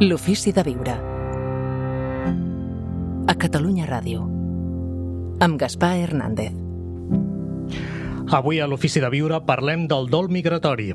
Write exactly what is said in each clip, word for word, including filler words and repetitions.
L'ofici de viure. A Catalunya Ràdio. Amb Gaspar Hernández. Avui a l'Ofici de Viure parlem del dol migratori.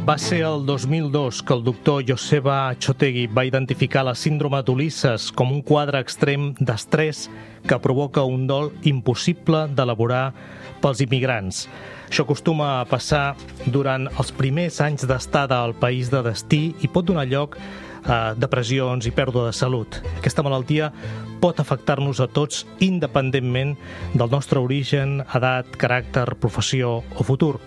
Va ser el dos mil dos que el doctor Joseba Txotegi va identificar la síndrome d'Ulisses com un quadre extrem d'estrès que provoca un dol impossible d'elaborar pels immigrants. Això acostuma a passar durant els primers anys d'estada al país de destí i pot donar lloc a depressions i pèrdua de salut. Aquesta malaltia pot afectar-nos a tots independentment del nostre origen, edat, caràcter, professió o futur.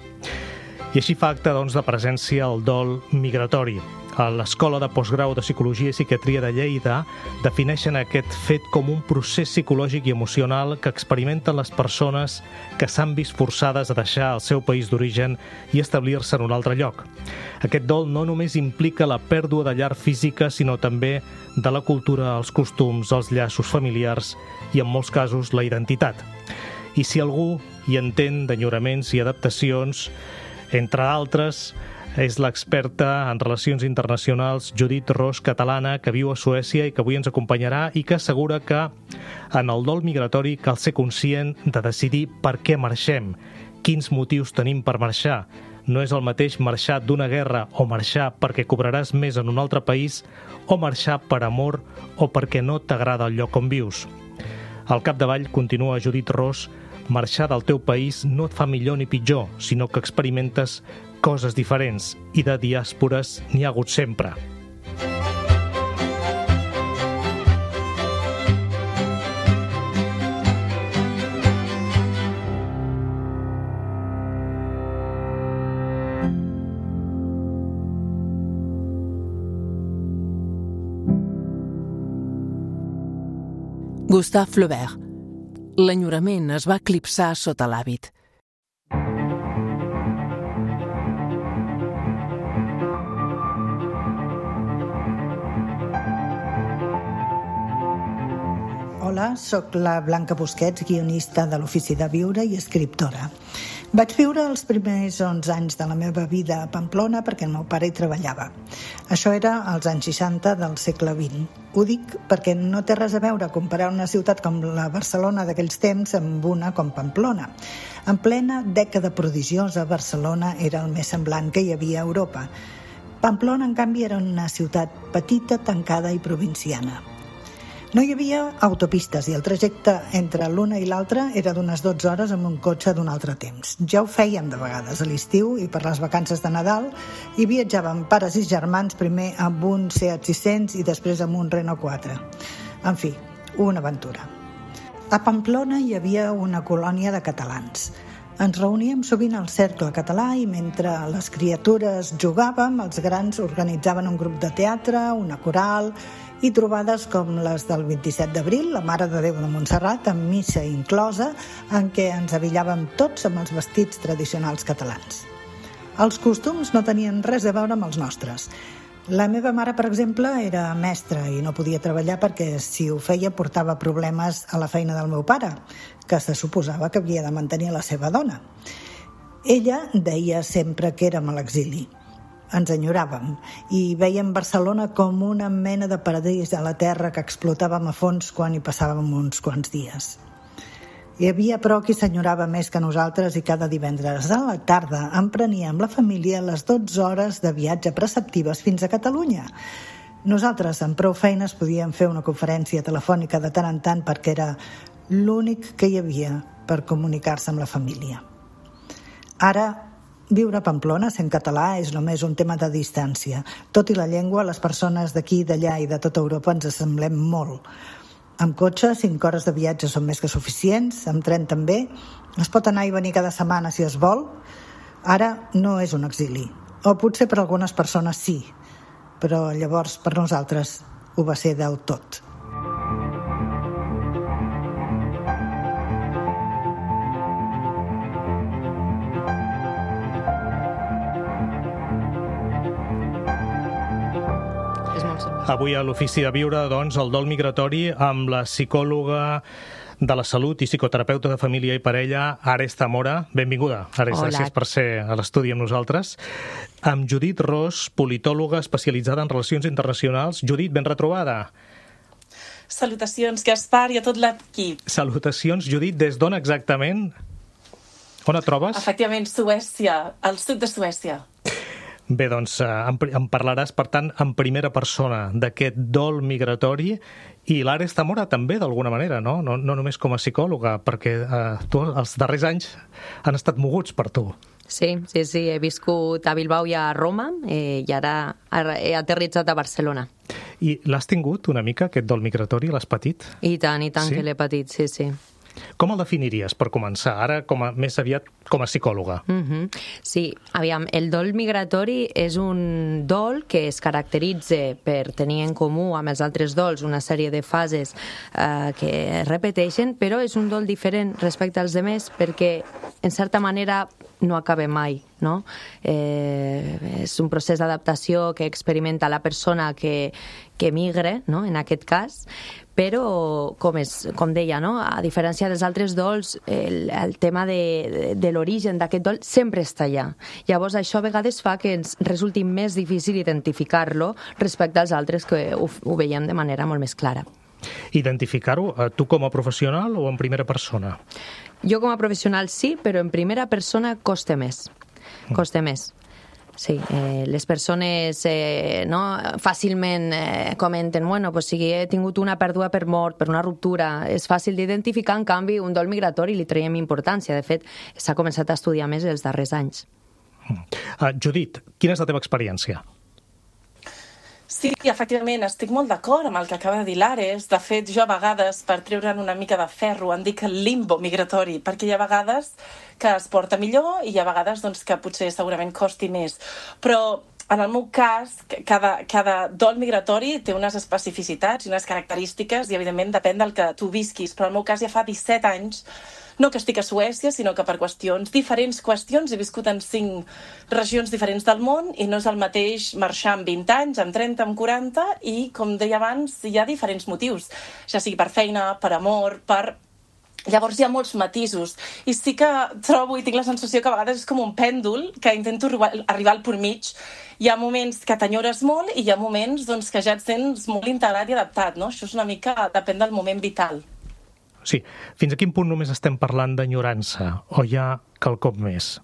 I així fa acte doncs, de presència el dol migratori. A l'Escola de Postgrau de Psicologia i Psiquiatria de Lleida defineixen aquest fet com un procés psicològic i emocional que experimenten les persones que s'han vist forçades a deixar el seu país d'origen i establir-se en un altre lloc. Aquest dol no només implica la pèrdua de llar física, sinó també de la cultura, els costums, els llaços familiars i, en molts casos, la identitat. I si algú hi entén d'enyoraments i adaptacions, entre d'altres, és l'experta en relacions internacionals Judit Ros, catalana, que viu a Suècia i que avui ens acompanyarà i que assegura que en el dol migratori cal ser conscient de decidir per què marxem, quins motius tenim per marxar. No és el mateix marxar d'una guerra o marxar perquè cobraràs més en un altre país o marxar per amor o perquè no t'agrada el lloc on vius. Al capdavall, continua Judit Ros, marxar del teu país no et fa millor ni pitjor, sinó que experimentes coses diferents i de diàspores n'hi ha hagut sempre. Gustave Flaubert. L'enyorament es va eclipsar sota l'hàbit. Hola, sóc la Blanca Busquets, guionista de l'Ofici de Viure i escriptora. Vaig viure els primers onze anys de la meva vida a Pamplona perquè el meu pare hi treballava. Això era als anys seixanta del segle vint. Ho dic perquè no té res a veure comparar una ciutat com la Barcelona d'aquells temps amb una com Pamplona. En plena dècada prodigiosa, Barcelona era el més semblant que hi havia a Europa. Pamplona, en canvi, era una ciutat petita, tancada i provinciana. No hi havia autopistes i el trajecte entre l'una i l'altra era d'unes dotze hores amb un cotxe d'un altre temps. Ja ho fèiem de vegades a l'estiu i per les vacances de Nadal i viatjàvem pares i germans primer amb un Seat sis-cents i després amb un Renault quatre. En fi, una aventura. A Pamplona hi havia una colònia de catalans. Ens reuníem sovint al cercle català i mentre les criatures jugàvem, els grans organitzaven un grup de teatre, una coral i trobades com les del vint-i-set d'abril, la Mare de Déu de Montserrat, amb missa inclosa, en què ens avillàvem tots amb els vestits tradicionals catalans. Els costums no tenien res a veure amb els nostres. La meva mare, per exemple, era mestra i no podia treballar perquè, si ho feia, portava problemes a la feina del meu pare, que se suposava que havia de mantenir la seva dona. Ella deia sempre que érem a l'exili. Ens enyoràvem i vèiem Barcelona com una mena de paradís a la terra que explotàvem a fons quan hi passàvem uns quants dies. Hi havia, però, qui s'enyorava més que nosaltres i cada divendres a la tarda empreníem la família les dotze hores de viatge preceptives fins a Catalunya. Nosaltres, amb prou feines, podíem fer una conferència telefònica de tant en tant perquè era l'únic que hi havia per comunicar-se amb la família. Ara, viure a Pamplona sent català és només un tema de distància. Tot i la llengua, les persones d'aquí, d'allà i de tota Europa ens assemblem molt. Amb cotxe, cinc hores de viatge són més que suficients, amb tren també. Es pot anar i venir cada setmana si es vol. Ara no és un exili. O potser per algunes persones sí, però llavors per nosaltres ho va ser del tot. Avui a l'Ofici de Viure, doncs, el dol migratori amb la psicòloga de la Salut i psicoterapeuta de família i parella, Ares Zamora. Benvinguda, Ares, Hola. Gràcies per ser a l'estudi amb nosaltres. Amb Judit Ros, politòloga especialitzada en relacions internacionals. Judit, ben retrobada. Salutacions, Gaspar, i a tot l'equip. Salutacions, Judit. Des d'on exactament? On et trobes? Efectivament, Suècia, al sud de Suècia. Bé, doncs em, em parlaràs, per tant, en primera persona d'aquest dol migratori, i l'Ares Zamora també, d'alguna manera, no? No, no només com a psicòloga, perquè eh, tu, els darrers anys han estat moguts per tu. Sí, sí, sí, he viscut a Bilbao i a Roma eh, i ara he aterritzat a Barcelona. I l'has tingut una mica, aquest dol migratori? L'has patit? I tant, i tant Sí? que l'he patit, sí, sí. Com el definiries, per començar? Ara, com a, més aviat, com a psicòloga. Mhm. Sí, aviam, el dol migratori és un dol que es caracteritza per tenir en comú amb els altres dols una sèrie de fases eh, que es repeteixen, però és un dol diferent respecte als demés perquè, en certa manera, no acaba mai, no? Eh, és un procés d'adaptació que experimenta la persona que, que migre, no?, en aquest cas, però, com, és, com deia, no?, a diferència dels altres dols, el, el tema de, de l'origen d'aquest dol sempre està allà. Llavors, això a vegades fa que ens resulti més difícil identificar-lo respecte als altres que ho, ho veiem de manera molt més clara. Identificar-ho, eh, tu com a professional o en primera persona? Jo com a professional sí, però en primera persona costa més. Costa més. Sí, eh, les persones eh, no, fàcilment eh, comenten, bueno, pues si he tingut una pèrdua per mort, per una ruptura, és fàcil d'identificar, en canvi, un dol migratori li traiem importància. De fet, s'ha començat a estudiar més els darrers anys. Uh, Judit, quina és la teva experiència? Sí, efectivament, estic molt d'acord amb el que acaba de dir l'Ares. De fet, jo a vegades, per treure'n una mica de ferro, en dic el limbo migratori, perquè hi ha vegades que es porta millor i hi ha vegades doncs, que potser segurament costi més. Però en el meu cas, cada, cada dol migratori té unes especificitats i unes característiques i, evidentment, depèn del que tu visquis. Però en el meu cas ja fa disset anys, no que estic a Suècia, sinó que per qüestions, diferents qüestions, he viscut en cinc regions diferents del món i no és el mateix marxar amb vint anys, amb trenta, amb quaranta i, com deia abans, hi ha diferents motius, ja sigui per feina, per amor, per... Llavors hi ha molts matisos i sí que trobo i tinc la sensació que a vegades és com un pèndol que intento arribar al punt mig. Hi ha moments que t'enyores molt i hi ha moments doncs, que ja et sents molt integrat i adaptat, no? Això és una mica, depèn del moment vital. Sí, fins a quin punt només estem parlant d'enyorança o hi ha quelcom més?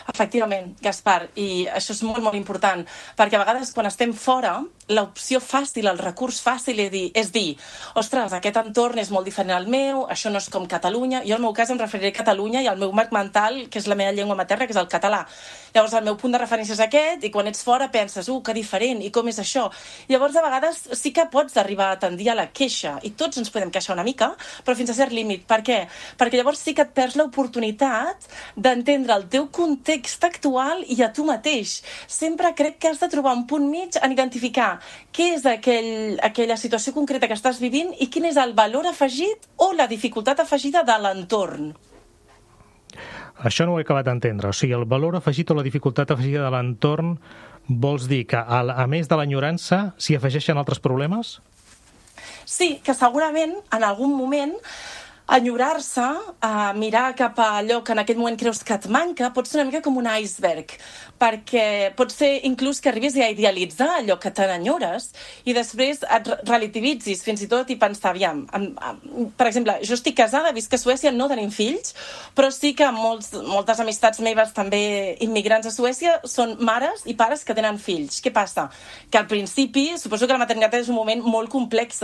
Efectivament, Gaspar, i això és molt, molt important, perquè a vegades quan estem fora, l'opció fàcil, el recurs fàcil és dir, és dir, ostres, aquest entorn és molt diferent al meu, això no és com Catalunya, jo en el meu cas em referiré a Catalunya i al meu marc mental, que és la meva llengua materna, que és el català. Llavors el meu punt de referència és aquest, i quan ets fora penses, uh, que diferent, i com és això? Llavors a vegades sí que pots arribar a tendir a la queixa, i tots ens podem queixar una mica, però fins a cert límit. Per què? Perquè llavors sí que et perds l'oportunitat d'entendre el teu context actual i a tu mateix. Sempre crec que has de trobar un punt mig en identificar què és aquell, aquella situació concreta que estàs vivint i quin és el valor afegit o la dificultat afegida de l'entorn. Això no ho he acabat d'entendre. O sigui, el valor afegit o la dificultat afegida de l'entorn vols dir que, a, a més de l'enyorança, s'hi afegeixen altres problemes? Sí, que segurament en algun moment enyorar-se, a mirar cap a allò que en aquell moment creus que et manca, pot ser una mica com un iceberg, perquè pot ser inclús que arribis a idealitzar allò que te n'enyores i després et relativitzis fins i tot i pensar, aviam, per exemple, jo estic casada, visc a Suècia, no tenim fills, però sí que molts, moltes amistats meves també immigrants a Suècia són mares i pares que tenen fills. Què passa? Que al principi, suposo que la maternitat és un moment molt complex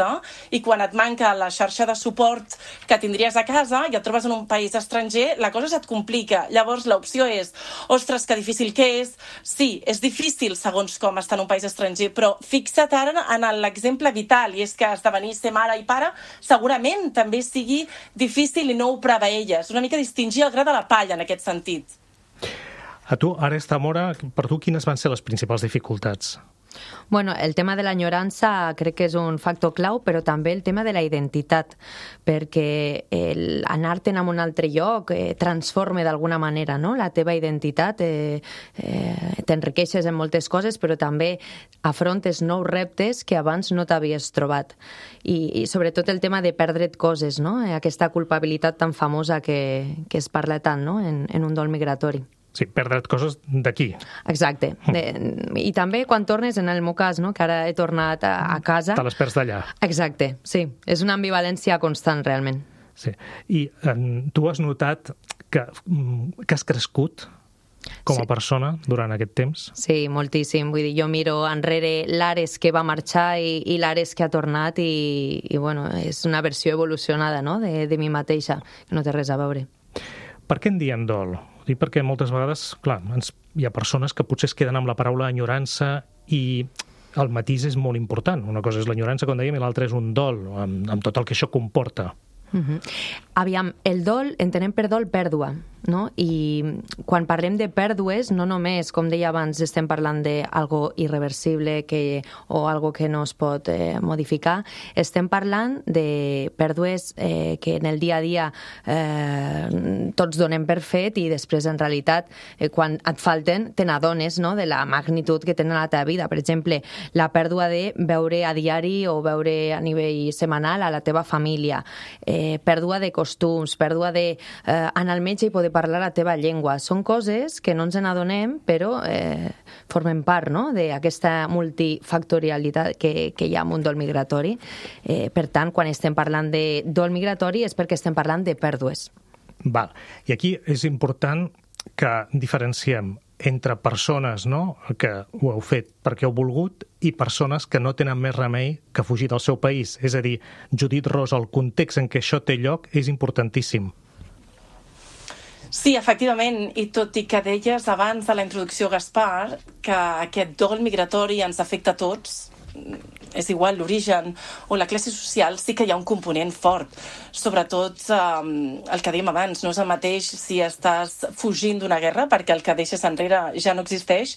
i quan et manca la xarxa de suport que tindries a casa i et trobes en un país estranger, la cosa se't complica. Llavors l'opció és, ostres, que difícil que és. Sí, és difícil segons com estar en un país estranger, però fixa't ara en l'exemple vital, i és que esdevenir ser mare i pare segurament també sigui difícil i no ho preveies. Una mica distingir el gra de la palla en aquest sentit. A tu, Ares Zamora, per tu quines van ser les principals dificultats? Bueno, el tema de l'enyorança crec que és un factor clau, però també el tema de la identitat, perquè el anar-te'n a un altre lloc eh, transforma d'alguna manera, no?, la teva identitat, eh, eh, t'enriqueixes en moltes coses, però també afrontes nous reptes que abans no t'havies trobat. I, i sobretot el tema de perdre't coses, no?, aquesta culpabilitat tan famosa que, que es parla tant, no?, en, en un dol migratori. Sí, perdre't coses d'aquí. Exacte. De, I també quan tornes, en el meu cas, no?, que ara he tornat a, a casa... Te les perds d'allà. Exacte, sí. És una ambivalència constant, realment. Sí. I en, tu has notat que, que has crescut com a sí. persona durant aquest temps? Sí, moltíssim. Vull dir, jo miro enrere l'Ares que va marxar i, i l'Ares que ha tornat i, i bueno, és una versió evolucionada, no?, de, de mi mateixa, que no té res a veure. Per què en diem dol? Dic perquè moltes vegades, clar, ens, hi ha persones que potser es queden amb la paraula enyorança i el matís és molt important. Una cosa és l'enyorança, com dèiem, i l'altra és un dol, amb, amb tot el que això comporta. Uh-huh. Aviam, el dol, entenem per dol pèrdua, no? I quan parlem de pèrdues, no només, com deia abans, estem parlant d'algo irreversible que, o algo que no es pot eh, modificar, estem parlant de pèrdues eh, que en el dia a dia eh, tots donem per fet i després, en realitat, eh, quan et falten, te n'adones, no?, de la magnitud que tenen a la teva vida. Per exemple, la pèrdua de veure a diari o veure a nivell setmanal a la teva família, eh, pèrdua de costums, pèrdua de eh, anar al metge i poder parlar la teva llengua. Són coses que no ens n'adonem, però eh, formen part, no?, d'aquesta multifactorialitat que, que hi ha en un dol migratori. Eh, per tant, quan estem parlant de dol migratori és perquè estem parlant de pèrdues. Val. I aquí és important que diferenciem entre persones, no?, que ho heu fet perquè heu volgut i persones que no tenen més remei que fugir del seu país. És a dir, Judit Ros, el context en què això té lloc és importantíssim. Sí, efectivament, i tot i que deies abans de la introducció, Gaspar, que aquest dol migratori ens afecta a tots, és igual l'origen o la classe social, sí que hi ha un component fort. Sobretot eh, el que dèiem abans, no és el mateix si estàs fugint d'una guerra perquè el que deixes enrere ja no existeix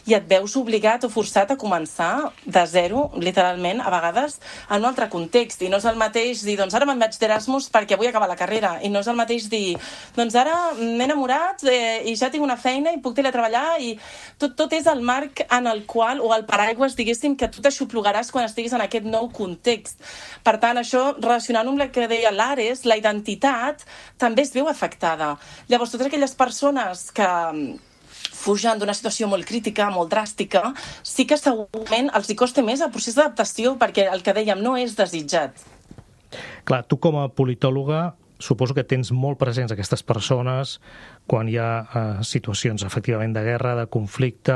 i et veus obligat o forçat a començar de zero, literalment, a vegades en un altre context. I no és el mateix dir, doncs ara me'n vaig d'Erasmus perquè vull acabar la carrera. I no és el mateix dir, doncs ara m'he enamorat eh, i ja tinc una feina i puc teletreballar i tot, tot és el marc en el qual, o el paraigües, diguéssim, que tu t'aixoplugaràs quan estiguis en aquest nou context. Per tant, això, relacionant amb el que deia l'Ares, la identitat també es veu afectada. Llavors, totes aquelles persones que fugen d'una situació molt crítica, molt dràstica, sí que segurament els hi costa més el procés d'adaptació, perquè el que dèiem no és desitjat. Clar, tu com a politòloga suposo que tens molt presents aquestes persones quan hi ha eh, situacions efectivament de guerra, de conflicte,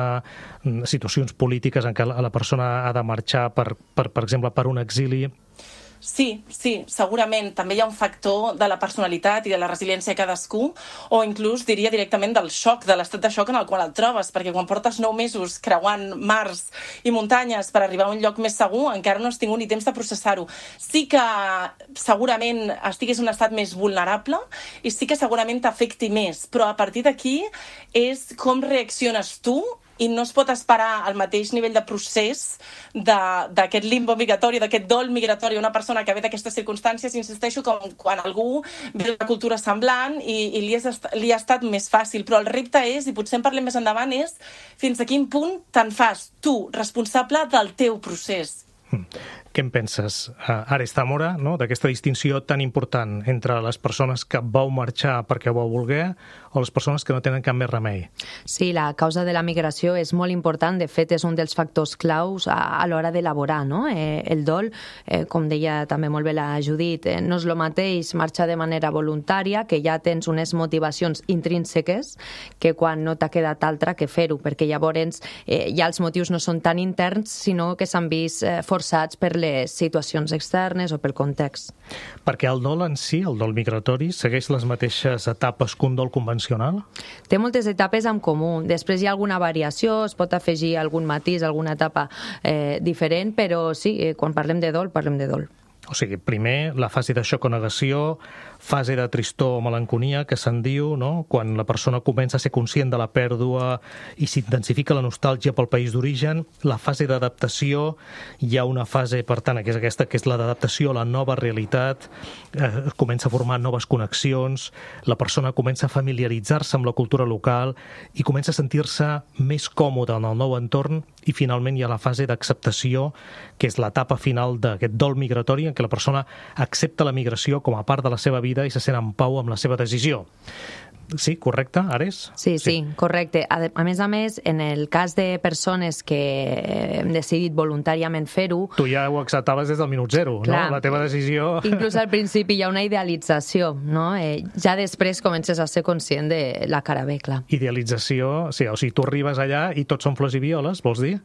situacions polítiques en què la persona ha de marxar, per, per, per exemple, per un exili. Sí, sí, segurament. També hi ha un factor de la personalitat i de la resiliència de cadascú, o inclús diria directament del xoc, de l'estat de xoc en el qual et trobes, perquè quan portes nou mesos creuant mars i muntanyes per arribar a un lloc més segur, encara no has tingut ni temps de processar-ho. Sí que segurament estiguis en un estat més vulnerable i sí que segurament t'afecti més, però a partir d'aquí és com reacciones tu i no es pot esperar al mateix nivell de procés d'aquest limbo migratori, d'aquest dol migratori, una persona que ve d'aquestes circumstàncies, insisteixo, com quan algú ve d'una cultura semblant i, i li, és, li ha estat més fàcil. Però el repte és, i potser en parlem més endavant, és fins a quin punt te'n fas tu responsable del teu procés. Mm. Què en penses, Ares Zamora, no? D'aquesta distinció tan important entre les persones que vau marxar perquè vau voler o les persones que no tenen cap més remei? Sí, la causa de la migració és molt important. De fet, és un dels factors claus a, a l'hora d'elaborar, no? Eh, el dol, eh, com deia també molt bé la Judit, eh, no és el mateix marxar de manera voluntària, que ja tens unes motivacions intrínseques, que quan no t'ha quedat altra que fer-ho, perquè llavors eh, ja els motius no són tan interns, sinó que s'han vist eh, forçats per les situacions externes o pel context. Perquè el dol en si, el dol migratori, segueix les mateixes etapes que un dol convencional? Té moltes etapes en comú. Després hi ha alguna variació, es pot afegir algun matís, alguna etapa eh, diferent, però sí, eh, quan parlem de dol, parlem de dol. O sigui, primer la fase de xoc o negació, fase de tristor o melanconia, que se'n diu, no? Quan la persona comença a ser conscient de la pèrdua i s'intensifica la nostàlgia pel país d'origen. La fase d'adaptació, hi ha una fase, per tant, que és aquesta, que és la d'adaptació a la nova realitat, eh, comença a formar noves connexions, la persona comença a familiaritzar-se amb la cultura local i comença a sentir-se més còmode en el nou entorn, i finalment hi ha la fase d'acceptació, que és l'etapa final d'aquest dol migratori en què la persona accepta la migració com a part de la seva vida i se sent en pau amb la seva decisió. Sí, correcte, Ares? Sí, sí, sí, correcte. A, a més a més, en el cas de persones que hem decidit voluntàriament fer-ho... Tu ja ho acceptaves des del minut zero, clar, no? La teva decisió... Inclús al principi hi ha una idealització, no? Eh, ja després comences a ser conscient de la cara B, clar. Idealització, sí, o sigui, tu arribes allà i tots són flors i violes, vols dir?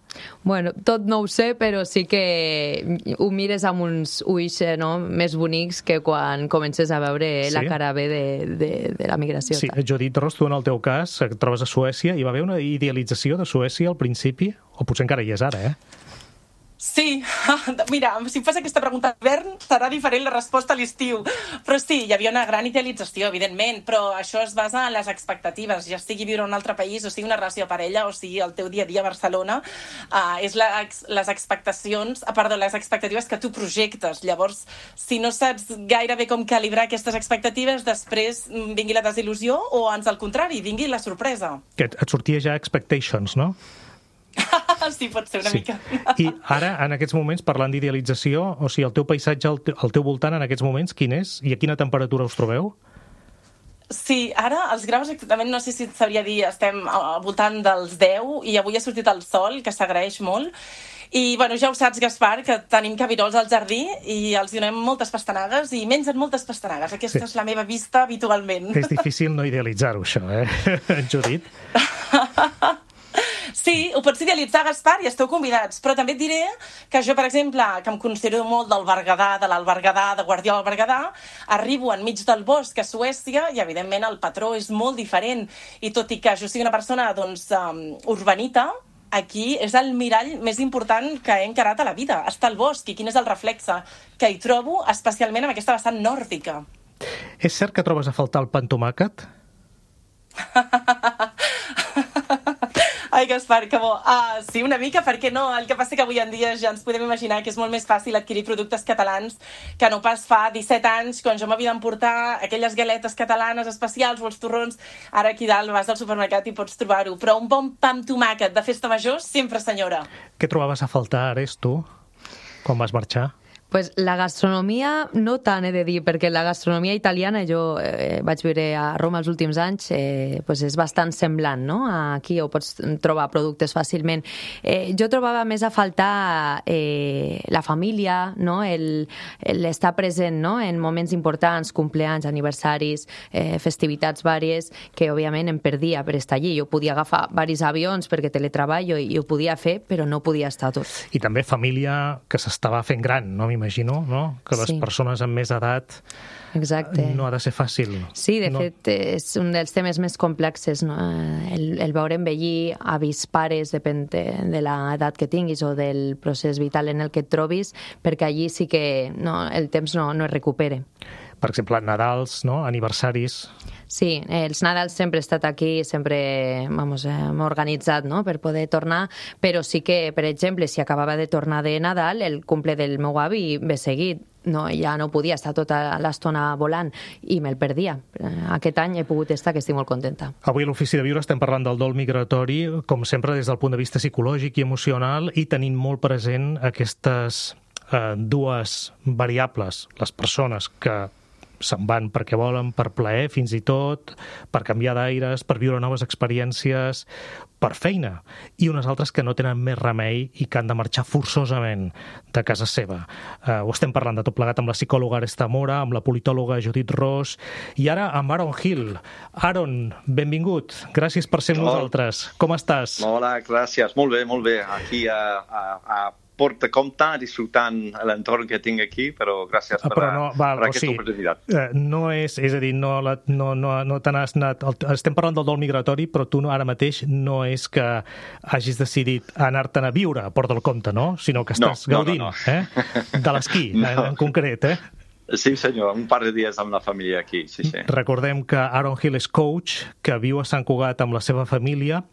Bueno, tot no ho sé, però sí que ho mires amb uns ulls, no?, més bonics que quan comences a veure sí? la cara B de, de, de la migració. Sí. Judit Ros, tu en el teu cas et trobes a Suècia, hi va haver una idealització de Suècia al principi? O potser encara hi és ara, eh? Sí, mira, si em fas aquesta pregunta a l'hivern serà diferent la resposta a l'estiu, però sí, hi havia una gran idealització, evidentment, però això es basa en les expectatives, ja sigui viure en un altre país, o sigui una relació de parella, o sigui el teu dia a dia a Barcelona, uh, és la, les expectacions, ah, perdó, les expectatives que tu projectes. Llavors, si no saps gaire bé com calibrar aquestes expectatives, després vingui la desil·lusió o, ans al contrari, vingui la sorpresa. Que et sortia ja Expectations, no? Sí, pot ser una sí. mica. I ara, en aquests moments, parlant d'idealització, o sigui, el teu paisatge al teu, al teu voltant en aquests moments, quin és? I a quina temperatura us trobeu? Sí, ara els graus exactament, no sé si et sabria dir, estem al voltant dels deu i avui ha sortit el sol, que s'agraeix molt. I, bueno, ja ho saps, Gaspar, que tenim cabirols al jardí i els donem moltes pastanagues i mengen moltes pastanagues. Aquesta sí. és la meva vista habitualment. És difícil no idealitzar-ho, això, eh, Judit? Sí, ho pots idealitzar, Gaspar, i esteu convidats. Però també et diré que jo, per exemple, que em considero molt del Berguedà, de l'Alberguedà, de Guardiola del Berguedà, arribo enmig del bosc a Suècia i, evidentment, el patró és molt diferent. I tot i que jo sigui una persona, doncs, um, urbanita, aquí és el mirall més important que he encarat a la vida. Està al bosc i quin és el reflexe que hi trobo, especialment amb aquesta vessant nòrdica. És cert que trobes a faltar el pa amb tomàquet? Ai, Gaspar, que bo. Ah, sí, una mica, per què no? El que passa que avui en dia ja ens podem imaginar que és molt més fàcil adquirir productes catalans que no pas fa disset anys, quan jo m'havia d'emportar aquelles galetes catalanes especials o els torrons. Ara aquí dalt vas al supermercat i pots trobar-ho. Però un bon pa amb tomàquet de festa major, sempre, senyora. Què trobaves a faltar, Ares, tu, quan vas marxar? Pues la gastronomia no tant, he de dir, perquè la gastronomia italiana, jo eh, vaig viure a Roma els últims anys, eh, pues és bastant semblant, no? Aquí ho pots trobar productes fàcilment. Eh, jo trobava més a faltar eh, la família, no? El, l'estar present, no? En moments importants, compleanys, aniversaris, eh, festivitats vàries, que òbviament em perdia per estar allí. Jo podia agafar varis avions perquè teletreballo i, i ho podia fer, però no podia estar tot. I també família que s'estava fent gran, no? M'imagino, no? Que les sí. persones amb més edat Exacte. no ha de ser fàcil. Sí, de no. fet, és un dels temes més complexes, no? El, el veure envellir avis, pares, depèn de, de l'edat que tinguis o del procés vital en el que et trobis, perquè allí sí que no, el temps no, no es recupere. Per exemple, Nadals, no? Aniversaris... Sí, els Nadals sempre he estat aquí, sempre vamos, hem organitzat, no?, per poder tornar, però sí que, per exemple, si acabava de tornar de Nadal, el cumple del meu avi ve seguit, no, ja no podia estar tota l'estona volant i me'l perdia. Aquest any he pogut estar, que estic molt contenta. Avui a l'Ofici de Viure estem parlant del dol migratori, com sempre des del punt de vista psicològic i emocional, i tenint molt present aquestes eh, dues variables, les persones que se'n van perquè volen, per plaer fins i tot, per canviar d'aires, per viure noves experiències, per feina, i unes altres que no tenen més remei i que han de marxar forçosament de casa seva. Uh, ho estem parlant de tot plegat amb la psicòloga Aresta Mora, amb la politòloga Judit Ros, i ara amb Aaron Hill. Aaron, benvingut. Gràcies per ser amb nosaltres. Com estàs? Hola, gràcies. Molt bé, molt bé. Aquí a, a, a porta compte disfrutant l'entorn que tinc aquí, però gràcies per, però no, val, per aquesta o sigui, oportunitat. Eh, no és, és a dir, no, la, no, no, no te n'has anat... El, estem parlant del dol migratori, però tu no, ara mateix no és que hagis decidit anar-te'n a viure a Port del Comte, no? Sinó que estàs no, gaudint no, no, no. Eh? de l'esquí, no. en, en concret, eh? Sí, senyor, un par de dies amb la família aquí, sí, sí. Recordem que Aaron Hill és coach, que viu a Sant Cugat amb la seva família,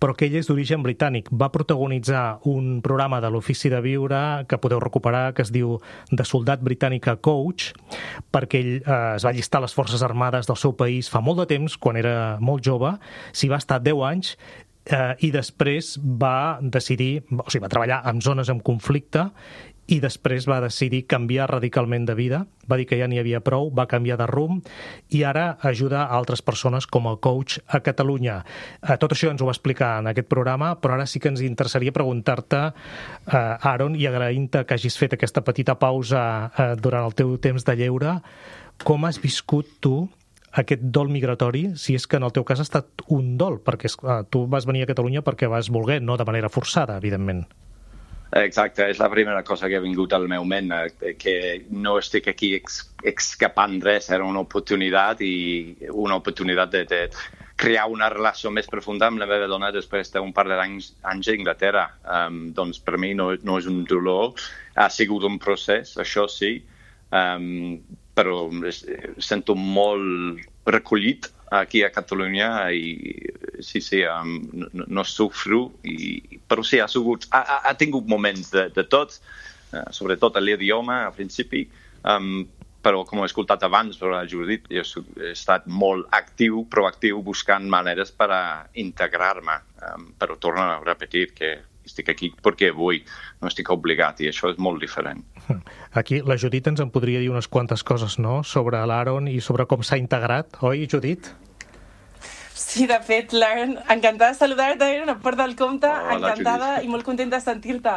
però que ell és d'origen britànic. Va protagonitzar un programa de l'Ofici de Viure, que podeu recuperar, que es diu De soldat britànic a coach, perquè ell eh, es va allistar a les Forces Armades del seu país fa molt de temps, quan era molt jove, s'hi va estar deu anys, eh, i després va decidir, o sigui, va treballar en zones amb conflicte, i després va decidir canviar radicalment de vida, va dir que ja n'hi havia prou, va canviar de rumb i ara ajuda a altres persones com a coach a Catalunya. Tot això ens ho va explicar en aquest programa, però ara sí que ens interessaria preguntar-te, Aaron, i agraint-te que hagis fet aquesta petita pausa durant el teu temps de lleure, com has viscut tu aquest dol migratori, si és que en el teu cas ha estat un dol, perquè tu vas venir a Catalunya perquè vas voler, no de manera forçada, evidentment. Exacte, és la primera cosa que ha vingut al meu ment, que no estic aquí escapant res, era una oportunitat i una oportunitat de, de crear una relació més profunda amb la meva dona després d'un par d'anys a Anglaterra. Um, doncs per mi no, no és un dolor, ha sigut un procés, això sí, um, però sento molt recollit aquí a Catalunya i sí, sí, um, no, no sofro, i, però sí, ha, sigut, ha, ha tingut moments de, de tot, uh, sobretot l'idioma al principi, um, però com he escoltat abans per la Judit, jo he estat molt actiu, proactiu, buscant maneres per a integrar-me, um, però torno a repetir que estic aquí perquè vull, no estic obligat, i això és molt diferent. Aquí la Judit ens en podria dir unes quantes coses, no?, sobre l'Aaron i sobre com s'ha integrat, oi, Judit? Sí, de fet, l'Aaron, encantada de saludar-te, Aaron, a Port del Comte, Hola, encantada Judit. I molt contenta de sentir-te.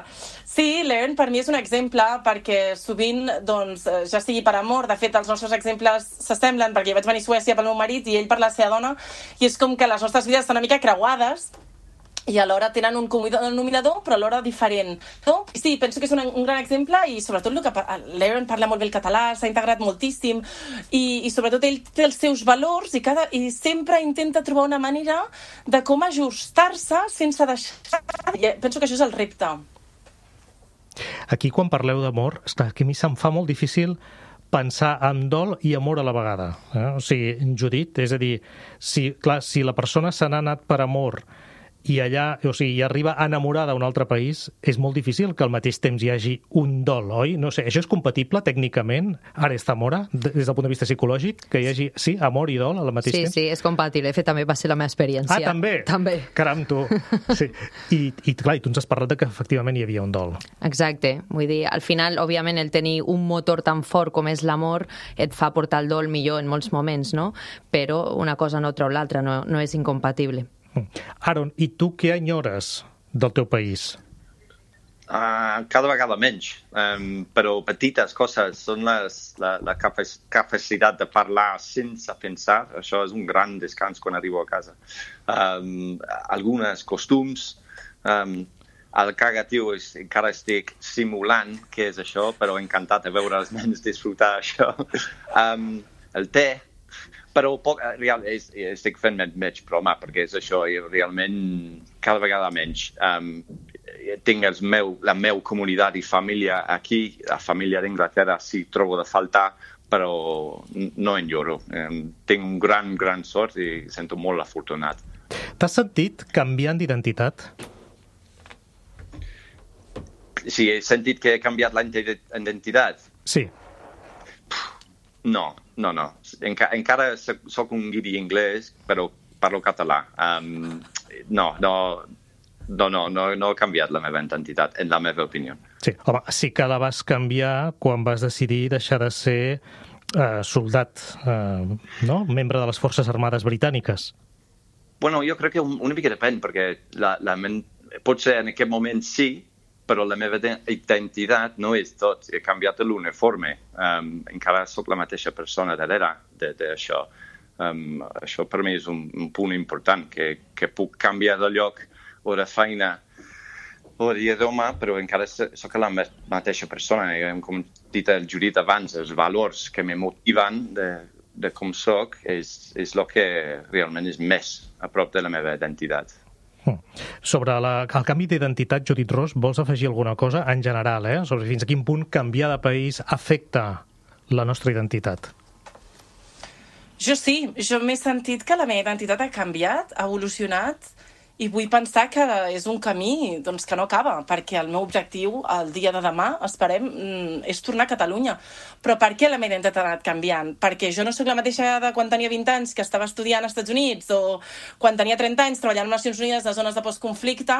Sí, l'Aaron per mi és un exemple perquè sovint, doncs, ja sigui per amor, de fet, els nostres exemples s'assemblen, perquè jo vaig venir a Suècia pel meu marit i ell per la seva dona, i és com que les nostres vides estan una mica creuades, i alhora tenen un denominador, però alhora diferent. No? Sí, penso que és un, un gran exemple i sobretot el que l'Aaron parla molt bé el català, s'ha integrat moltíssim i, i sobretot ell té els seus valors i, cada, i sempre intenta trobar una manera de com ajustar-se sense deixar... Penso que això és el repte. Aquí, quan parleu d'amor, és clar que a mi se'm fa molt difícil pensar en dol i amor a la vegada. Eh? O sigui, Judit, és a dir, si, clar, si la persona se n'ha anat per amor i allà, o sigui, i arriba enamorada a un altre país, és molt difícil que al mateix temps hi hagi un dol, oi? No sé, això és compatible tècnicament, ara és Zamora, des del punt de vista psicològic, que hi hagi, sí, amor i dol al mateix sí, temps? Sí, sí, és compatible. De fet, també va ser la meva experiència. Ah, també? També. Caram, tu. Sí. I, i clar, i tu ens has parlat de que efectivament hi havia un dol. Exacte. Vull dir, al final, òbviament, el tenir un motor tan fort com és l'amor et fa portar el dol millor en molts moments, no? Però una cosa no treu l'altra, no, no és incompatible. Aaron, i tu què enyores del teu país? Uh, cada vegada menys, um, però petites coses són les, la, la capacitat de parlar sense pensar. Això és un gran descans quan arribo a casa. Um, algunes costums, um, el cagatiu és, encara estic simulant què és això, però encantat de veure els nens disfrutar això. Um, el te, però poc, real, és, estic fent menys broma, perquè és això, i realment cada vegada menys. Um, tinc els meu, la meva comunitat i família aquí, la família d'Anglaterra sí trobo de faltar, però no enyoro. Um, tinc un gran, gran sort i sento molt afortunat. T'has sentit canviant d'identitat? Sí, he sentit que he canviat la identitat. Sí. No, no, no. Enca encara soc un guiri anglès, però parlo català. Um, no, no, no, no, no, no he canviat la meva identitat, en la meva opinió. Sí, home, sí que la vas canviar quan vas decidir deixar de ser eh, soldat, eh, no? Membre de les Forces Armades Britàniques. Bueno, jo crec que una mica depèn, perquè la, la men... potser en aquest moment sí, però la meva identitat no és tot. He canviat l'uniforme. Um, encara sóc la mateixa persona darrere d'això. Um, això per mi és un, un punt important, que, que puc canviar de lloc o de feina tipologia d'home, però encara sóc la mateixa persona. Com ha dit el Judit abans, els valors que me motiven de, de com soc és, és el que realment és més a prop de la meva identitat. Sobre la, el canvi d'identitat, Judit Ros, vols afegir alguna cosa en general, eh? Sobre fins a quin punt canviar de país afecta la nostra identitat? Jo sí, jo m'he sentit que la meva identitat ha canviat, ha evolucionat, i vull pensar que és un camí doncs, que no acaba, perquè el meu objectiu el dia de demà, esperem, és tornar a Catalunya. Però per què la meva identitat ha anat canviant? Perquè jo no sóc la mateixa de quan tenia vint anys que estava estudiant als Estats Units o quan tenia trenta anys treballant a les Nacions Unides a zones de postconflicte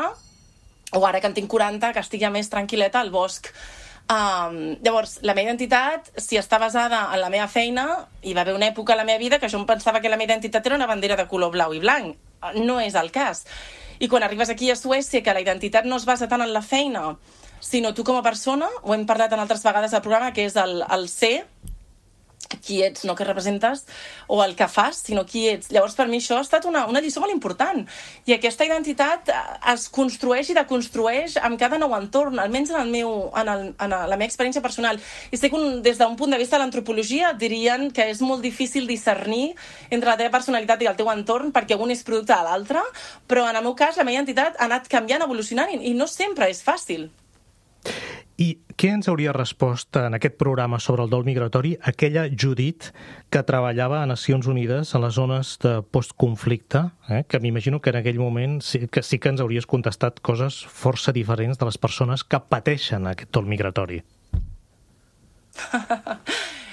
o ara que en tinc quaranta que estic ja més tranquil·leta al bosc. Um, llavors, la meva identitat, si està basada en la meva feina, hi va haver una època a la meva vida que jo em pensava que la meva identitat era una bandera de color blau i blanc. No és el cas. I quan arribes aquí a Suècia, que la identitat no es basa tant en la feina, sinó tu com a persona, ho hem parlat en altres vegades al programa, que és el, el ser, qui ets, no què representes, o el que fas, sinó qui ets. Llavors, per mi això ha estat una, una lliçó molt important. I aquesta identitat es construeix i deconstrueix amb cada nou entorn, almenys en, el meu, en, el, en la meva experiència personal. I sé que un, des d'un punt de vista de l'antropologia dirien que és molt difícil discernir entre la teva personalitat i el teu entorn perquè un és producte de l'altre, però en el meu cas la meva identitat ha anat canviant, evolucionant i, i no sempre és fàcil. I què ens hauria respost en aquest programa sobre el dol migratori aquella Judit que treballava a Nacions Unides en les zones de postconflicte, eh? Que m'imagino que en aquell moment sí que, sí que ens hauries contestat coses força diferents de les persones que pateixen aquest dol migratori.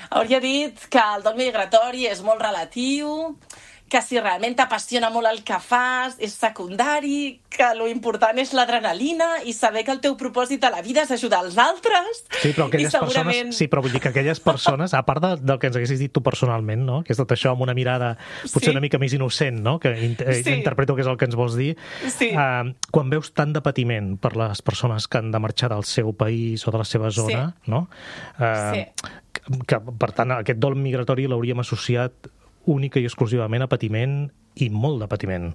Hauria dit que el dol migratori és molt relatiu, que si realment t'apassiona molt el que fas és secundari, que lo important és l'adrenalina i saber que el teu propòsit a la vida és ajudar els altres. Sí, però aquelles segurament... persones, sí, però vull dir que aquelles persones, a part de, del que ens haguessis dit tu personalment, no? Que és tot això amb una mirada potser sí. una mica més innocent, no? Que inter sí. interpreto que és el que ens vols dir. Sí. Uh, quan veus tant de patiment per les persones que han de marxar del seu país o de la seva zona, sí. no? Uh, sí. Que, que, per tant, aquest dol migratori l'hauríem associat única i exclusivament a patiment i molt de patiment.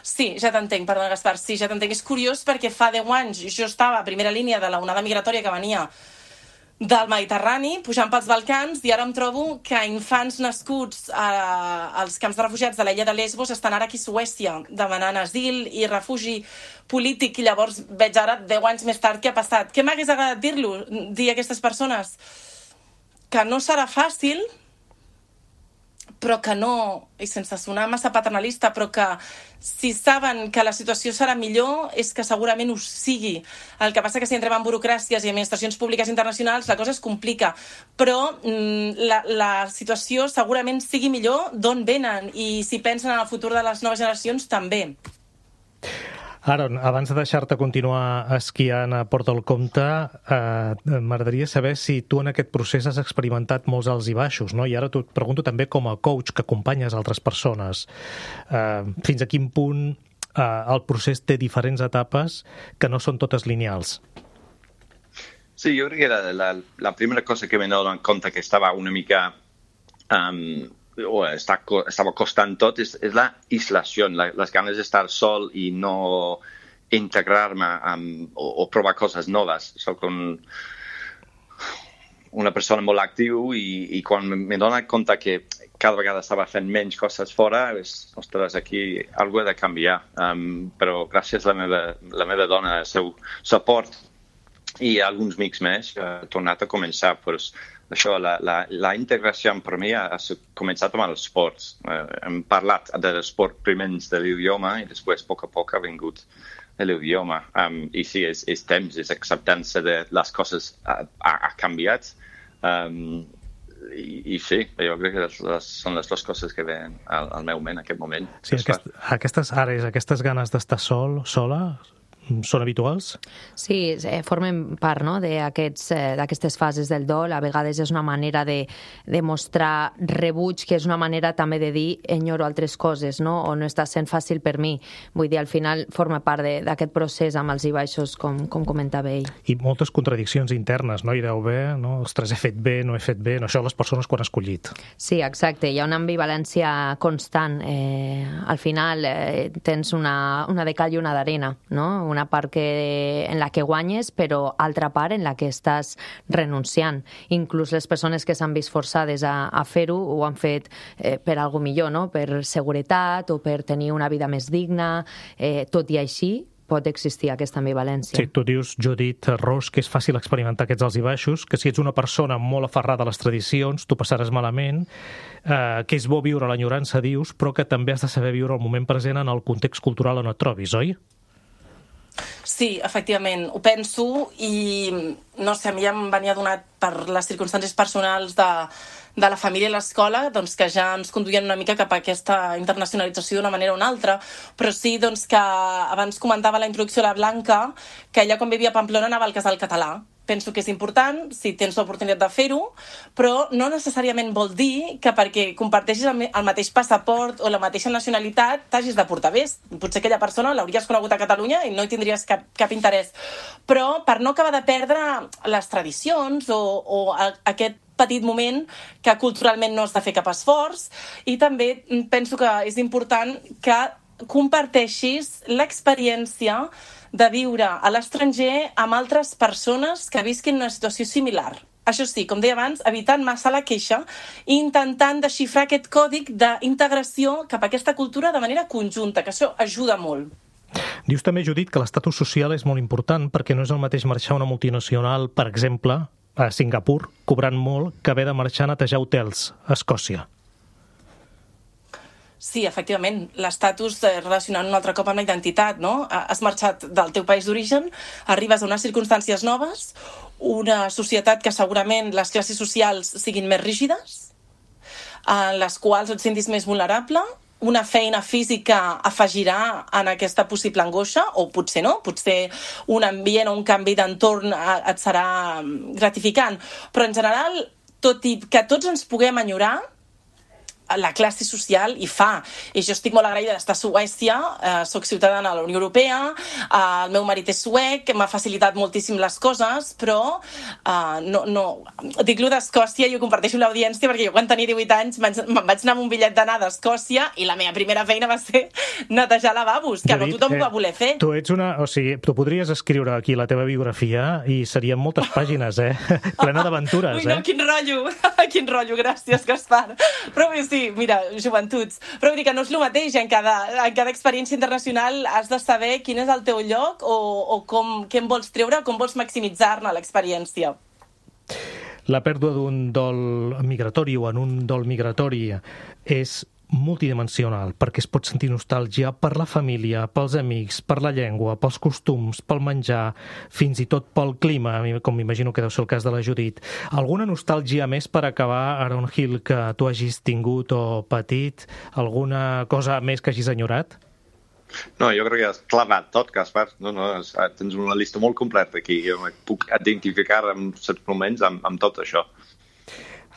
Sí, ja t'entenc, perdona, Gaspar, sí, ja t'entenc. És curiós perquè fa deu anys jo estava a primera línia de la onada migratòria que venia del Mediterrani, pujant pels Balcans, i ara em trobo que infants nascuts a, als camps de refugiats de l'illa de Lesbos estan ara aquí a Suècia demanant asil i refugi polític, i llavors veig ara, deu anys més tard, què ha passat. Què m'hagués agradat dir-lo, dir a aquestes persones? Que no serà fàcil, però que no, i sense sonar massa paternalista, però que si saben que la situació serà millor és que segurament ho sigui. El que passa que si entrem en burocràcies i administracions públiques internacionals la cosa es complica, però mm, la, la situació segurament sigui millor d'on venen, i si pensen en el futur de les noves generacions també. Aaron, abans de deixar-te continuar esquiant a Port del Comte, eh, m'agradaria saber si tu en aquest procés has experimentat molts alts i baixos, no? I ara t'ho pregunto també com a coach que acompanyes altres persones. Eh, fins a quin punt eh, el procés té diferents etapes que no són totes lineals? Sí, jo crec que la, la, la primera cosa que m'he donat compte que estava una mica... Um, o està, estava costant tot, és, és la islació, la, les ganes d'estar sol i no integrar-me o, o provar coses noves. Soc un, una persona molt actiu i, i quan m'he donat compte que cada vegada estava fent menys coses fora, és, ostres, aquí alguna ha de canviar. Um, però gràcies a la meva, la meva dona, el seu suport i alguns amics més, he tornat a començar. Pues, això, la, la, la integració per mi ha, ha començat amb els esports. Eh, hem parlat de l'esport primer de l'idioma i després, a poc a poc, ha vingut l'idioma. Um, I sí, és, és temps, és acceptança de les coses ha, ha, ha canviat. Um, i, I sí, jo crec que les, les, són les dues coses que ven al, al meu ment en aquest moment. Sí, aquest, aquestes àrees, aquestes ganes d'estar sol, sola... són habituals? Sí, eh, formen part, no?, d'aquestes eh, fases del dol. A vegades és una manera de, de mostrar rebuig, que és una manera també de dir enyoro altres coses, no?, o no està sent fàcil per mi. Vull dir, al final forma part d'aquest procés amb els i baixos, com, com comentava ell. I moltes contradiccions internes, no? Hi deu haver, no? Ostres, he fet bé, no he fet bé, no? Això les persones quan han escollit. Sí, exacte. Hi ha una ambivalència constant. Eh, al final eh, tens una, una de cal i una d'arena, no? Una una part que, en la que guanyes, però altra part en la que estàs renunciant. Inclús les persones que s'han vist forçades a, a fer-ho ho han fet eh, per algo millor, no? Per seguretat o per tenir una vida més digna. Eh, tot i així, pot existir aquesta ambivalència. Sí, tu dius, Judit Ros, que és fàcil experimentar aquests alts i baixos, que si ets una persona molt aferrada a les tradicions, tu passaràs malament, eh, que és bo viure l'enyorança, dius, però que també has de saber viure el moment present en el context cultural on et trobis, oi? Sí, efectivament, ho penso i no sé, a mi ja em venia donat per les circumstàncies personals de, de la família i l'escola, doncs que ja ens conduïen una mica cap a aquesta internacionalització d'una manera o una altra, però sí doncs que abans comentava la introducció a la Blanca que ella quan vivia a Pamplona anava al casal català. Penso que és important, si tens l'oportunitat de fer-ho, però no necessàriament vol dir que perquè comparteixis el mateix passaport o la mateixa nacionalitat t'hagis de portar bé. Potser aquella persona l'hauries conegut a Catalunya i no hi tindries cap, cap interès. Però per no acabar de perdre les tradicions o, o aquest petit moment que culturalment no has de fer cap esforç, i també penso que és important que comparteixis l'experiència de viure a l'estranger amb altres persones que visquin una situació similar. Això sí, com deia abans, evitant massa la queixa i intentant desxifrar aquest còdic d'integració cap a aquesta cultura de manera conjunta, que això ajuda molt. Dius també, Judit, que l'estatus social és molt important perquè no és el mateix marxar una multinacional, per exemple, a Singapur, cobrant molt, que haver de marxar a netejar hotels a Escòcia. Sí, efectivament, l'estatus relacionant un altre cop amb la identitat, no? Has marxat del teu país d'origen, arribes a unes circumstàncies noves, una societat que segurament les classes socials siguin més rígides, en les quals et sentis més vulnerable, una feina física afegirà en aquesta possible angoixa, o potser no, potser un ambient o un canvi d'entorn et serà gratificant. Però en general, tot i que tots ens puguem enyorar, la classe social hi fa. I jo estic molt agraïda d'estar a Suècia, eh, soc ciutadana de la Unió Europea, eh, el meu marit és suec, m'ha facilitat moltíssim les coses, però eh, no, no... dic-lo d'Escòcia i ho comparteixo amb l'audiència perquè jo quan tenia divuit anys me'n vaig anar amb un bitllet d'anar d'Escòcia i la meva primera feina va ser netejar lavabos, que Judit, no tothom eh, ho va voler fer. Tu ets una... O sigui, tu podries escriure aquí la teva biografia i serien moltes pàgines, eh? Plena d'aventures, Ui, no, eh? quin rotllo! Quin rotllo, gràcies, Gaspar. Però bé, sí, mira, joventuts. Però vull dir que no és el mateix, en cada, en cada experiència internacional has de saber quin és el teu lloc o, o com, què en vols treure, com vols maximitzar-ne l'experiència. La pèrdua d'un dol migratori o en un dol migratori és multidimensional, perquè es pot sentir nostàlgia per la família, pels amics, per la llengua, pels costums, pel menjar, fins i tot pel clima, com m'imagino que deu ser el cas de la Judit. Alguna nostàlgia més per acabar, Aaron Hill, que tu hagis tingut o patit? Alguna cosa més que hagis enyorat? No, jo crec que has clavat tot, Gaspar. No, no, tens una llista molt completa aquí. Jo em puc identificar en certs moments amb, amb tot això.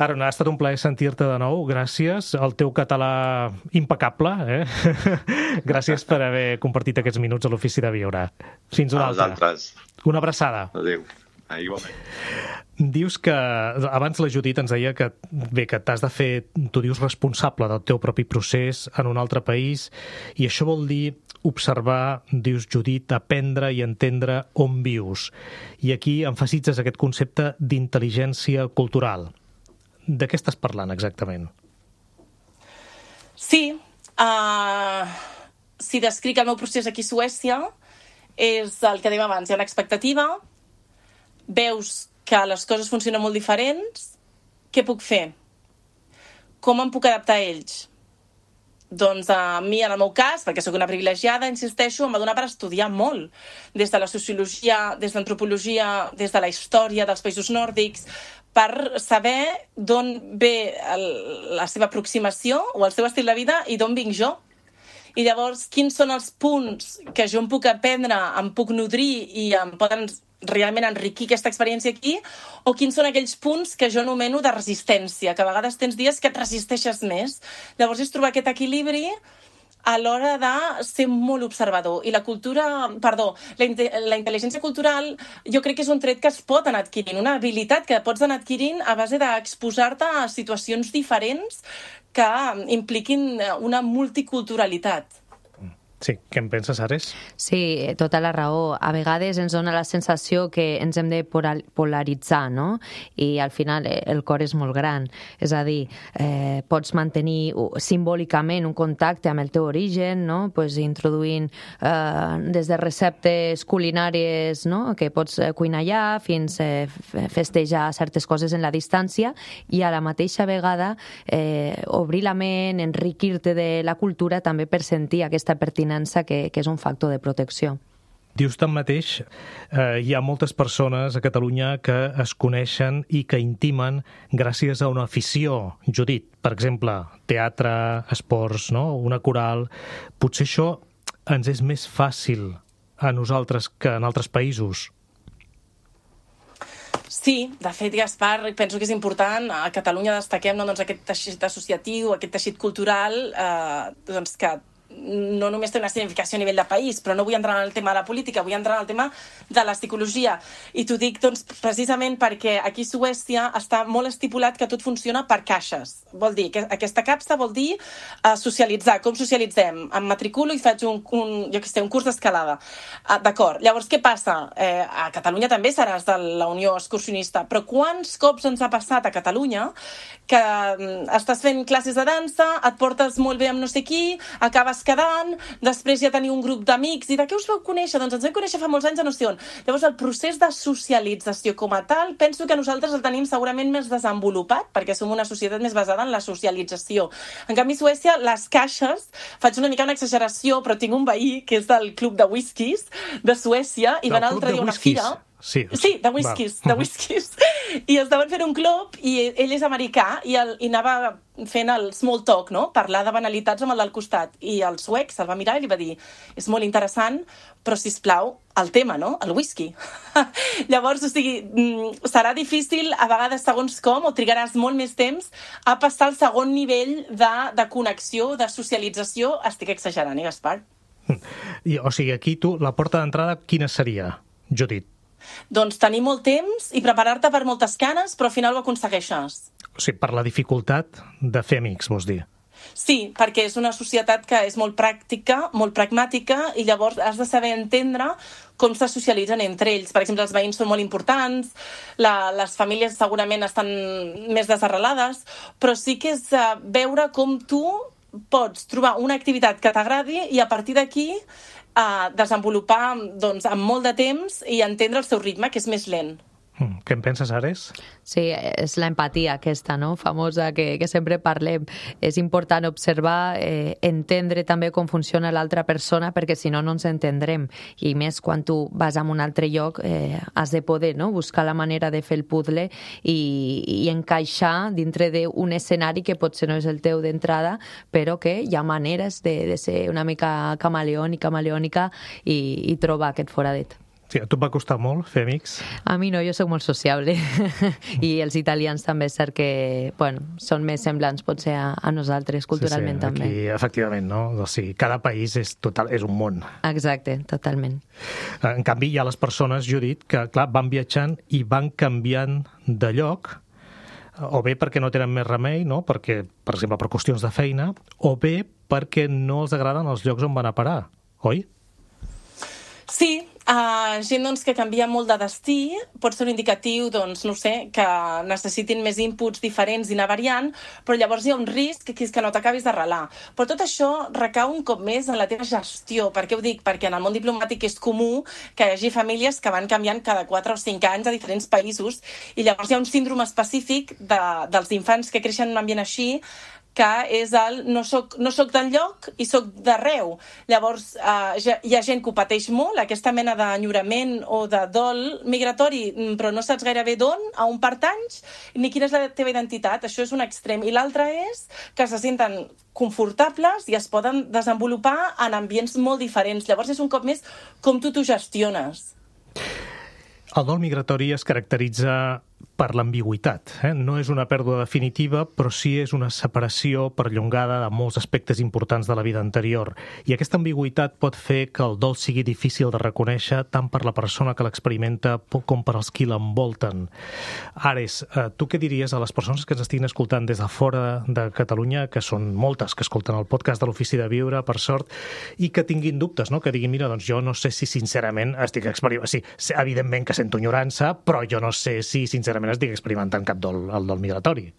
Aaron, ha estat un plaer sentir-te de nou, gràcies. El teu català impecable, eh? Gràcies per haver compartit aquests minuts a l'Ofici de Viure. Fins una altra. Altres. Una abraçada. Adéu. Ah, igualment. Dius que, abans la Judit ens deia que, bé, que t'has de fer, tu dius, responsable del teu propi procés en un altre país, i això vol dir observar, dius, Judit, aprendre i entendre on vius. I aquí emfasitzes aquest concepte d'intel·ligència cultural. De què estàs parlant exactament? Sí, uh, si descric el meu procés aquí a Suècia, és el que dèiem abans, hi ha una expectativa, veus que les coses funcionen molt diferents, què puc fer? Com em puc adaptar a ells? Doncs a mi, en el meu cas, perquè sóc una privilegiada, insisteixo, em va donar per estudiar molt, des de la sociologia, des d'antropologia, des de la història dels països nòrdics, per saber d'on ve el, la seva aproximació o el seu estil de vida i d'on vinc jo. I llavors, quins són els punts que jo em puc aprendre, em puc nodrir i em poden realment enriquir aquesta experiència aquí, o quins són aquells punts que jo anomeno de resistència, que a vegades tens dies que et resisteixes més. Llavors és trobar aquest equilibri a l'hora de ser molt observador. I la cultura, perdó, la, la intel·ligència cultural jo crec que és un tret que es pot anar adquirint, una habilitat que pots anar adquirint a base d'exposar-te a situacions diferents que impliquin una multiculturalitat. Sí, què en penses, Ares? Sí, tota la raó. A vegades ens dona la sensació que ens hem de polaritzar, no? I al final el cor és molt gran. És a dir, eh, pots mantenir simbòlicament un contacte amb el teu origen, no? Pues introduint eh, des de receptes culinàries, no? Que pots cuinar allà fins a eh, festejar certes coses en la distància i a la mateixa vegada eh, obrir la ment, enriquir-te de la cultura també per sentir aquesta pertinença Que, que és un factor de protecció. Dius tanmateix, eh, hi ha moltes persones a Catalunya que es coneixen i que intimen gràcies a una afició. Judit, per exemple, teatre, esports, no? Una coral. Potser això ens és més fàcil a nosaltres que en altres països. Sí, de fet, Gaspar, penso que és important. A Catalunya destaquem no, doncs, aquest teixit associatiu, aquest teixit cultural, eh, doncs, que no només té una significació a nivell de país, però no vull entrar en el tema de la política, vull entrar en el tema de la psicologia. I t'ho dic doncs, precisament perquè aquí a Suècia està molt estipulat que tot funciona per caixes. Vol dir que aquesta capsa vol dir uh, socialitzar. Com socialitzem? Em matriculo i faig un, un, jo què sé, un curs d'escalada. Uh, D'acord. Llavors, què passa? Eh, a Catalunya també seràs de la Unió Excursionista, però quants cops ens ha passat a Catalunya que um, estàs fent classes de dansa, et portes molt bé amb no sé qui, acabes quedant, després ja teniu un grup d'amics i de què us vau conèixer? Doncs ens vam conèixer fa molts anys a no sé on. Llavors el procés de socialització com a tal penso que nosaltres el tenim segurament més desenvolupat perquè som una societat més basada en la socialització. En canvi a Suècia les caixes, faig una mica una exageració però tinc un veí que és del club de whiskies de Suècia i va anar l'altre dia a una fira. Sí, sí, de whiskies, de whiskies. I estaven fent un club i ell és americà i, el, i anava fent el small talk, no? Parlar de banalitats amb el del costat. I el suec se'l va mirar i li va dir és molt interessant, però sisplau, el tema, no? El whisky. Llavors, o sigui, serà difícil a vegades segons com o trigaràs molt més temps a passar al segon nivell de, de connexió, de socialització. Estic exagerant, eh, Gaspar? I, o sigui, aquí tu, la porta d'entrada, quina seria, Judit? Doncs tenir molt temps i preparar-te per moltes canes, però al final ho aconsegueixes. O sigui, per la dificultat de fer amics, vols dir? Sí, perquè és una societat que és molt pràctica, molt pragmàtica, i llavors has de saber entendre com se socialitzen entre ells. Per exemple, els veïns són molt importants, la, les famílies segurament estan més desarrelades, però sí que és uh, veure com tu pots trobar una activitat que t'agradi i a partir d'aquí a desenvolupar doncs, amb molt de temps i entendre el seu ritme, que és més lent. Què en penses, Ares? Sí, és l'empatia aquesta, no? Famosa, que, que sempre parlem. És important observar, eh, entendre també com funciona l'altra persona, perquè si no, no ens entendrem. I més quan tu vas a un altre lloc, eh, has de poder, no? Buscar la manera de fer el puzzle i, i encaixar dintre d'un escenari que potser no és el teu d'entrada, però que hi ha maneres de, de ser una mica camaleònica, camaleònica i, i trobar aquest foradet. Sí, a tu et va costar molt fer amics? A mi no, jo sóc molt sociable i els italians també és cert que bueno, són més semblants potser a, a nosaltres culturalment sí, sí, també. Aquí, efectivament, no? O sigui, cada país és, total, és un món. Exacte, totalment. En canvi, hi ha les persones, Judit, que clar, van viatjant i van canviant de lloc, o bé perquè no tenen més remei, no? Perquè, per exemple, per qüestions de feina, o bé perquè no els agraden els llocs on van a parar, oi? Sí, uh, gent doncs, que canvia molt de destí pot ser un indicatiu, doncs, no sé, que necessitin més inputs diferents i anar variant, però llavors hi ha un risc que, que no t'acabis d'arrelar. Però tot això recau un cop més en la teva gestió. Per què ho dic? Perquè en el món diplomàtic és comú que hi hagi famílies que van canviant cada quatre o cinc anys a diferents països i llavors hi ha un síndrome específic de, dels infants que creixen en un ambient així que és el no soc, no soc del lloc i soc d'arreu. Llavors, eh, ja, hi ha gent que ho pateix molt, aquesta mena d'enyorament o de dol migratori, però no saps gairebé d'on, a on pertanys, ni quina és la teva identitat. Això és un extrem. I l'altre és que se senten confortables i es poden desenvolupar en ambients molt diferents. Llavors, és un cop més com tu t'ho gestiones. El dol migratori es caracteritza per l'ambigüitat. Eh? No és una pèrdua definitiva, però sí és una separació perllongada de molts aspectes importants de la vida anterior. I aquesta ambigüitat pot fer que el dol sigui difícil de reconèixer tant per la persona que l'experimenta com per als qui l'envolten. Ares, eh, tu què diries a les persones que ens estiguin escoltant des de fora de Catalunya, que són moltes que escolten el podcast de l'Ofici de Viure, per sort, i que tinguin dubtes, no? Que diguin, mira, doncs jo no sé si sincerament estic experimentant... Sí, evidentment que sento enyorança, però jo no sé si sincerament estic experimentant cap dol, el dol migratori.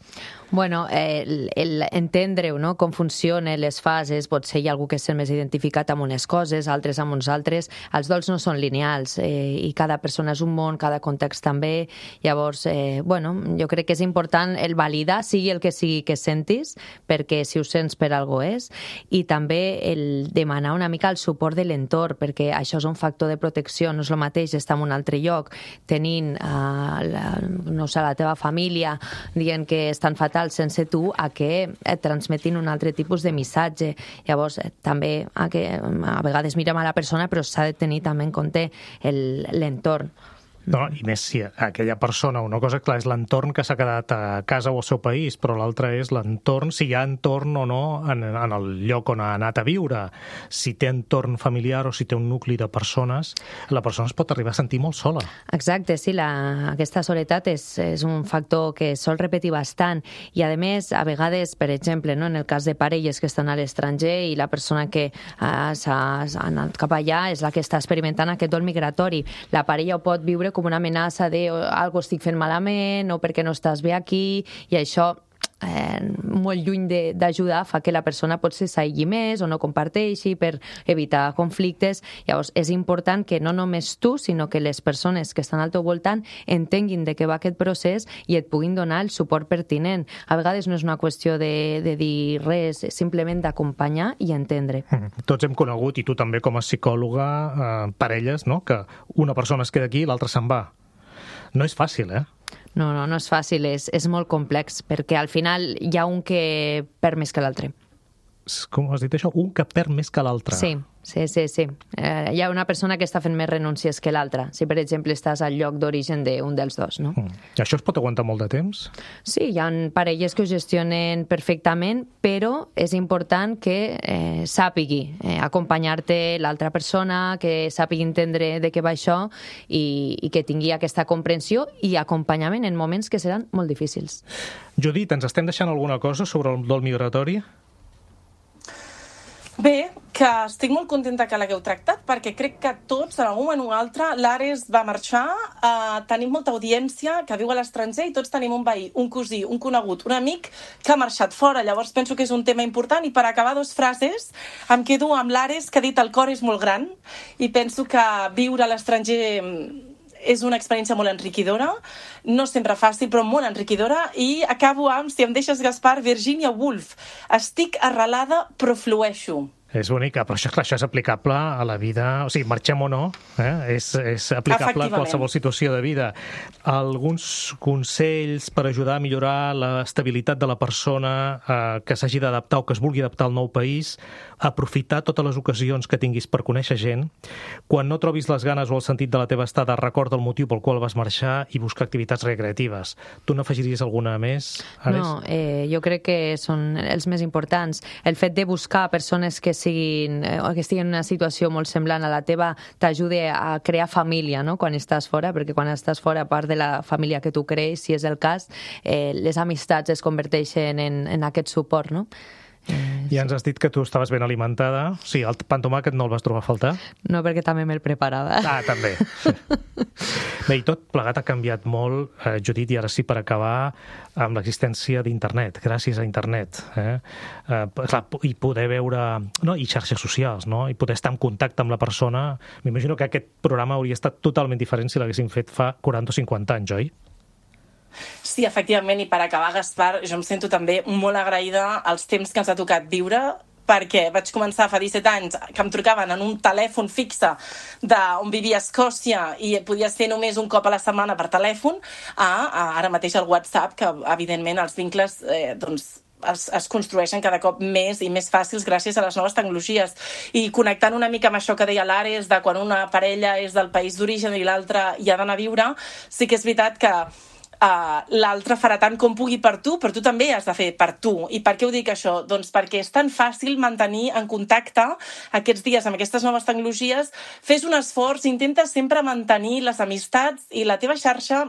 Bueno, el, el entendre-ho, no? Com funcionen les fases, potser hi ha algú que s'ha més identificat amb unes coses, altres amb uns altres. Els dols no són lineals eh, i cada persona és un món, cada context també. Llavors, eh, bueno, jo crec que és important el validar, sigui el que sigui que sentis, perquè si ho sents per algo és, i també el demanar una mica el suport de l'entorn, perquè això és un factor de protecció, no és el mateix estar en un altre lloc tenint, eh, la, no sé, la teva família dient que estan fatal sense tu, a que et transmetin un altre tipus de missatge. Llavors, eh, també a, que, a vegades mirem a la persona, però s'ha de tenir també en compte l'entorn. No, i més si aquella persona, una cosa clar és l'entorn que s'ha quedat a casa o al seu país, però l'altra és l'entorn, si hi ha entorn o no en, en el lloc on ha anat a viure. Si té entorn familiar o si té un nucli de persones, la persona es pot arribar a sentir molt sola. Exacte, sí, la, aquesta soledat és, és un factor que sol repetir bastant i, a més, a vegades, per exemple, no, en el cas de parelles que estan a l'estranger i la persona que uh, s'ha anat cap allà és la que està experimentant aquest dol migratori. La parella ho pot viure com una amenaça de oh, algo estic fent malament o perquè no estàs bé aquí, i això eh, molt lluny d'ajudar fa que la persona potser s'aïlli més o no comparteixi per evitar conflictes. Llavors és important que no només tu, sinó que les persones que estan al teu voltant entenguin de què va aquest procés i et puguin donar el suport pertinent. A vegades no és una qüestió de, de dir res, simplement d'acompanyar i entendre. Mm. Tots hem conegut, i tu també com a psicòloga, eh, parelles, no? Que una persona es queda aquí i l'altra se'n va. No és fàcil, eh? No, no, no és fàcil, és, és molt complex, perquè al final hi ha un que perd més que l'altre. Com has dit això? Un que perd més que l'altre. Sí, sí, sí. sí. Eh, hi ha una persona que està fent més renúncies que l'altra, si per exemple estàs al lloc d'origen d'un dels dos, no? Mm. I això es pot aguantar molt de temps? Sí, hi ha parelles que ho gestionen perfectament, però és important que eh, sàpigui eh, acompanyar-te l'altra persona, que sàpigui entendre de què va això i, i que tingui aquesta comprensió i acompanyament en moments que seran molt difícils. Judit, ens estem deixant alguna cosa sobre el dol migratori? Bé, que estic molt contenta que l'hagueu tractat, perquè crec que tots, en algun moment o altre, l'Ares va marxar, eh, tenim molta audiència que viu a l'estranger i tots tenim un veí, un cosí, un conegut, un amic que ha marxat fora. Llavors penso que és un tema important, i per acabar dos frases em quedo amb l'Ares, que ha dit el cor és molt gran, i penso que viure a l'estranger és una experiència molt enriquidora, no sempre fàcil, però molt enriquidora, i acabo amb, si em deixes, Gaspar, Virginia Woolf. Estic arrelada, però flueixo. És bonica, però això, clar, això és aplicable a la vida, o sigui, marxem o no, eh? és, és aplicable a qualsevol situació de vida. Alguns consells per ajudar a millorar l'estabilitat de la persona eh, que s'hagi d'adaptar o que es vulgui adaptar al nou país, aprofitar totes les ocasions que tinguis per conèixer gent. Quan no trobis les ganes o el sentit de la teva estada, recorda el motiu pel qual vas marxar i buscar activitats recreatives. Tu n'afegiries alguna més, Ares? No, eh, jo crec que són els més importants. El fet de buscar persones que siguin, o que estiguin en una situació molt semblant a la teva t'ajuda a crear família, no?, quan estàs fora, perquè quan estàs fora, a part de la família que tu crees, si és el cas, eh, les amistats es converteixen en, en aquest suport, no? Eh, I ens has dit que tu estaves ben alimentada. Sí, el pa amb tomàquet no el vas trobar a faltar? No, perquè també me'l preparava. Ah, també. Bé, i tot plegat ha canviat molt, eh, Judit, i ara sí, per acabar, amb l'existència d'internet, gràcies a internet. Eh? Eh, clar, i poder veure... No, i xarxes socials, no? I poder estar en contacte amb la persona. M'imagino que aquest programa hauria estat totalment diferent si l'haguéssim fet fa quaranta o cinquanta anys, oi? Sí, efectivament, i per acabar, Gaspar, jo em sento també molt agraïda als temps que ens ha tocat viure, perquè vaig començar fa disset anys que em trucaven en un telèfon fixe d'on vivia a Escòcia i podia ser només un cop a la setmana per telèfon, a, a ara mateix el WhatsApp, que evidentment els vincles eh, doncs, es, es construeixen cada cop més i més fàcils gràcies a les noves tecnologies. I connectant una mica amb això que deia l'Ares, de quan una parella és del país d'origen i l'altra hi ha d'anar a viure, sí que és veritat que uh, l'altre farà tant com pugui per tu, però tu també has de fer per tu. I per què ho dic això? Doncs perquè és tan fàcil mantenir en contacte aquests dies amb aquestes noves tecnologies. Fes un esforç, intenta sempre mantenir les amistats i la teva xarxa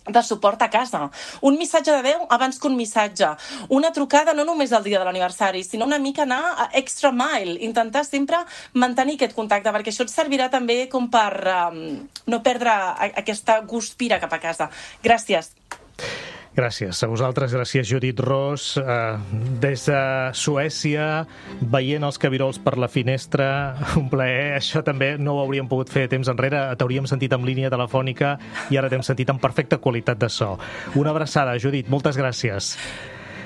de suport a casa. Un missatge de veu abans que un missatge. Una trucada no només el dia de l'aniversari, sinó una mica anar a extra mile. Intentar sempre mantenir aquest contacte, perquè això et servirà també com per um, no perdre aquesta guspira cap a casa. Gràcies. Gràcies a vosaltres, gràcies Judit Ros, eh, des de Suècia, veient els cabirols per la finestra, un plaer, això també no ho hauríem pogut fer temps enrere, t'hauríem sentit en línia telefònica i ara t'hem sentit en perfecta qualitat de so. Una abraçada, Judit, moltes gràcies.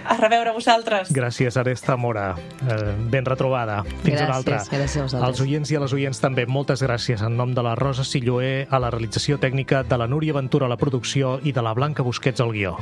A reveure vosaltres. Gràcies, Aresta Mora. Eh, ben retrobada. Fins gràcies, una altra. Gràcies a vosaltres. Als oients i a les oients també, moltes gràcies en nom de la Rosa Silloé a la realització tècnica, de la Núria Ventura a la producció i de la Blanca Busquets al guió.